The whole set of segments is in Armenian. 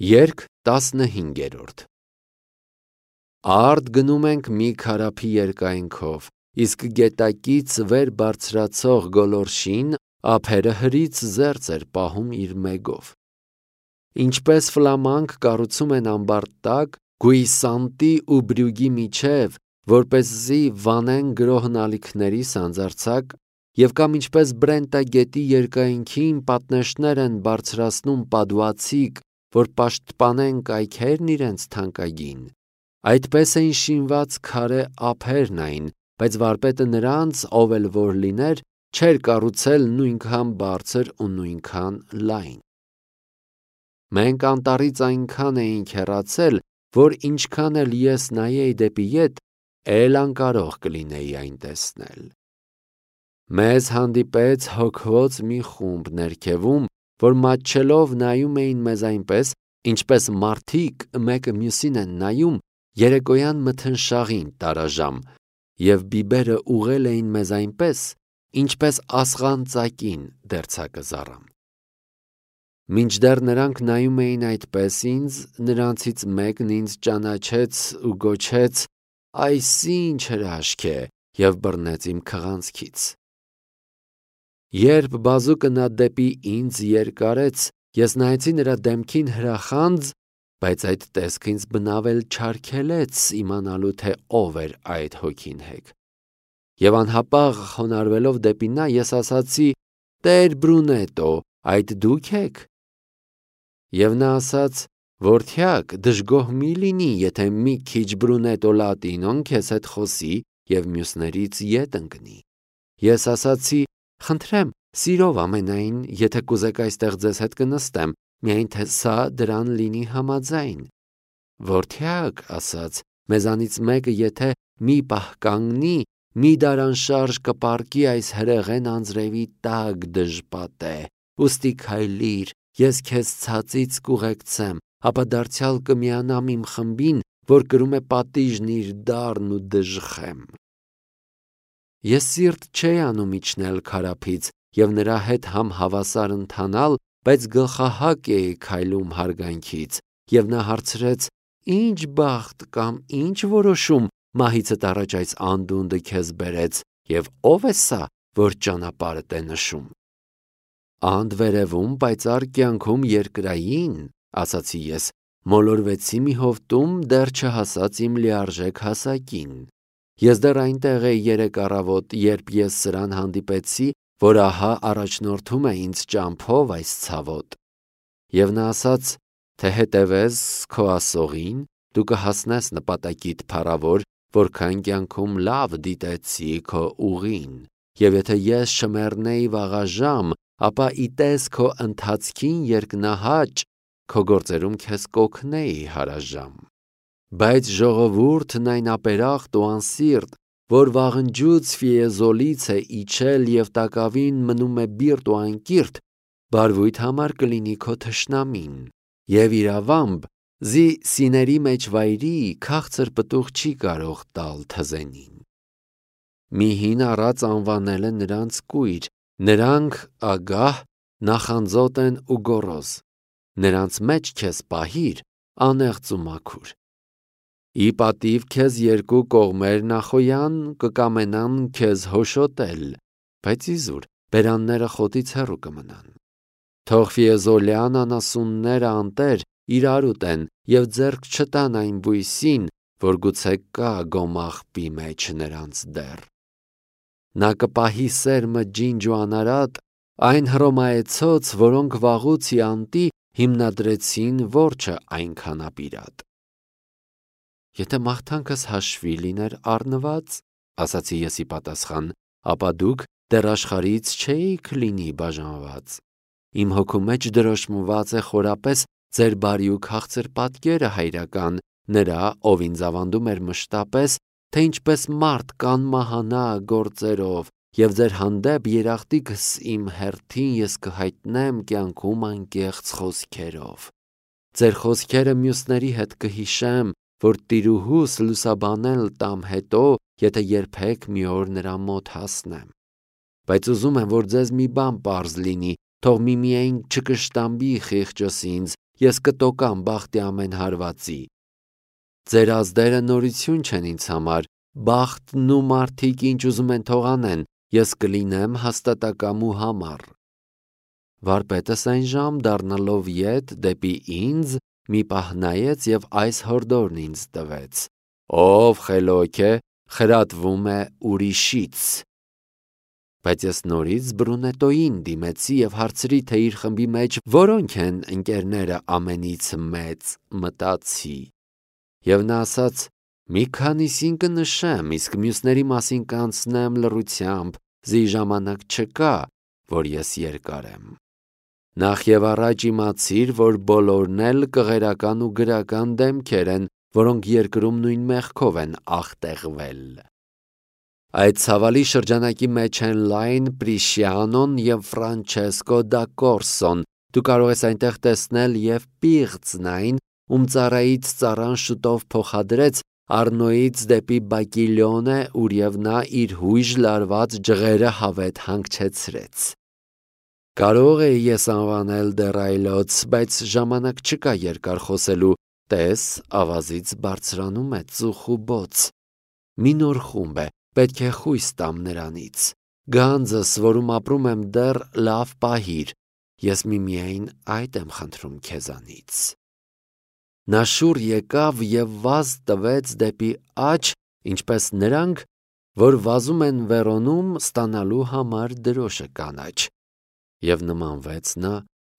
Երգ 15-րդ Արդ գնում ենք մի քարափի երկայնքով, իսկ գետակից վեր բարձրացող գոլորշին ափերը հրից զերծ էր պահում իր մեգով։ Ինչպես ֆլամանկ կառուցում են ամբարդ տակ, գույսանտի ու բրյուգի միջև, որպեսզի վանեն գրոհն ալիքների սանձարձակ, և կամ ինչպես Բրենտա գետի երկայնքին պատնեշներ են բարձրացնում պադուացիկ, որ պաշտպանեն կայքերն իրենց թանկագին, այդպես էին շինված քարե ափերն այն, բայց վարպետը նրանց, ով էլ որ լիներ, չէր կառուցել նույնքան բարձր ու նույնքան լայն։ Մենք անտառից այնքան էինք հեռացել, որ ինչքան էլ ես նայեի դեպի ետ, էլ անկարող կլինեի այն տեսնել։ Մեզ հանդիպեց հոգվոց մի խումբ ներքևում, որ մատչելով նայում էին մեզ այնպես, ինչպես մարդիկ մեկը մյուսին են նայում երեկոյան մթնշաղին տարաժամ, և բիբերը ուղղել էին մեզ այնպես, ինչպես ասղանծակին դերձակը զառամ։ Մինչդեռ նրանք նայում էին այդպես ինձ, նրանցից մեկն ինձ ճանաչեց ու գոչեց. «Այս ինչ հրաշք է» և բռնեց իմ քղանցքից։ Երբ բազուկը նա դեպի ինձ երկարեց, ես նայեցի նրա դեմքին հրախանձ, բայց այդ տեսքը ինձ բնավել չարգելեց իմանալու, թե ով էր այդ հոգին հեգ։ Եվ անհապաղ խոնարհվելով դեպի նա, ես ասացի. «Տեր Բրունետո, այդ դու՞ք եք»։ Եվ նա ասաց. «Որդյակ, դժգոհ մի լինի, եթե մի քիչ Բրունետո Լատինոն քեզ հետ խոսի և մյուսներից ետ ընկնի»։ Ես ասացի. «Խնդրեմ, սիրով ամենայն, եթե կուզեք այստեղ ձեզ հետ կնստեմ, միայն թե սա դրան լինի համաձայն»։ Որդյակ, ասաց, մեզանից մեկը եթե մի պահ կանգնի, մի դարանշարժ կպառկի այս հրեղեն անձրևի տակ դժպատե, ուստի քայլիր, ես քեզ ցածից կուղեկցեմ, ապա դարձյալ կմիանամ իմ խմբին, որ կրում է պատիժն իր դառն ու դժխեմ։ Ես սիրտ չէի անում իջնել քարափից և նրա հետ համ հավասար ընթանալ, բայց գլխահակ էի քայլում հարգանքից, և նա հարցրեց. «Ինչ բախտ կամ ինչ որոշում մահիցդ առաջ այս անդունդը քեզ բերեց, և ով է սա, որ ճանապարհդ է նշում»։ «Անդվերևում պայծառ կյանքում երկրային», ասացի ես, մոլորվեցի մի հովտում, դեռ չհասած իմ լիարժեք հասակին։ Ես դեռ այնտեղ էի երեկ առավոտ, երբ ես սրան հանդիպեցի, որ ահա առաջնորդում է ինձ ճամփով այս ցավոտ։ Եվ նա ասաց, թե հետևես քո ասողին, դու կհասնես նպատակիդ փառավոր, որքան կյանքում լավ դիտեցի քո ուղին, և եթե ես չմեռնեի վաղաժամ, ապա իտես քո ընթացքին երկնահաճ, քո գործերում քեզ կօգնեի հարաժամ։ Բայց ժողովուրդն այն ապերախտ ու անսիրտ, որ վաղնջուց Ֆիեզոլից է իջել և տակավին մնում է բիրտ ու անկիրթ, բարվույթ համար կլինի քո թշնամին, և իրավամբ զի սիների մեջ վայրի քաղցր պտուղ չի կարող տալ թզենին։ Մի հին առած անվանել է նրանց կույր, նրանք ագահ, նախանձոտ են ու գոռոզ, նրանց մեջ քեզ պահիր, անեղծ ու մաքուր։ Ի պատիվ քեզ երկու կողմեր նախոյան կկամենան քեզ հոշոտել, բայց իզուր բերանները խոտից հեռու կմնան։ Թող ֆիեզոլյան անասունները անտեր իրար ուտեն և ձեռք չտան այն բույսին, որ գուցե կա գոմաղբի մեջ նրանց դեռ։ Նա կպահի սերմը ջինջ ու անարատ, այն հռոմայեցոց, որոնք վաղուց յանտի հիմնադրեցին որջը այնքան ապիրատ։ Եթե մաղթանքս հաշվի լիներ առնված, ասացի ես ի պատասխան, ապա դուք դեռ աշխարհից չէիք լինի բաժանված։ Իմ հոգու մեջ դրոշմված է խորապես ձեր բարի ու քաղցր պատկերը հայրական, նրա, ով ինձ ավանդում էր մշտապես, թե ինչպես մարդ կանմահանա գործերով, և ձեր հանդեպ երախտիկս իմ հերթին ես կհայտնեմ կյանքում անկեղծ խոսքերով։ Ձեր խոսքերը մյուսների հետ կհիշեմ, որ տիրուհուս լուսաբանել տամ հետո, եթե երբեք մի օր նրա մոտ հասնեմ։ Բայց ուզում եմ, որ ձեզ մի բան պարզ լինի, թող միմիայն չկշտամբի խիղճս ինձ, ես կտոկամ բախտի ամեն հարվածի։ Ձեր ազդերը նորություն չեն ինձ համար, բախտն ու մարդիկ ինչ ուզում են թող անեն, ես կլինեմ հաստատակամ ու համառ։ Վարպետս այն ժամ դառնալով ետ դեպի ինձ մի պահ նայեց և այս հորդորն ինձ տվեց. «Ով խելոք է, խրատվում է ուրիշից»։ Բայց ես նորից Բրունետոյին դիմեցի և հարցրի, թե իր խմբի մեջ որոնք են ընկերները ամենից մեծ, մտածի։ Եվ նա ասաց. «Մի քանիսին կնշեմ, իսկ մյուսների մասին կանցնեմ լռությամբ, զի ժամանակ չկա, որ ես երկարեմ։ Նախ և առաջ իմացիր, որ բոլորն էլ կղերական ու գրական դեմքեր են, որոնք երկրում նույն մեղքով են աղտեղվել։ Այդ ցավալի շրջանակի մեջ են Լայն Պրիշիանոն և Ֆրանչեսկո դա Կորսոն, դու կարող ես այնտեղ տեսնել և Պիղծն այն, ում ծառայից ծառան շուտով փոխադրեց Առնոյից դեպի Բակիլիոնե, ուր և նա իր հույժ լարված ջղերը հավետ հանգչեցրեց։ Կարող էի ես անվանել դեռ այլոց, բայց ժամանակ չկա երկար խոսելու, տես ավազից բարձրանում է ծուխ ու բոց։ Մի նոր խումբ է, պետք է խույս տամ նրանից։ Գանձս, որում ապրում եմ դեռ, լավ պահիր, ես միմիայն այդ եմ խնդրում քեզանից։ Նա շուռ եկավ և վազ տվեց դեպի աջ, ինչպես նրանք, որ վազում են Վերոնում ստանալու համար դրոշը կանաչ, և նմանվեց նա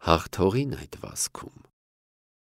հաղթողին այդ վազքում։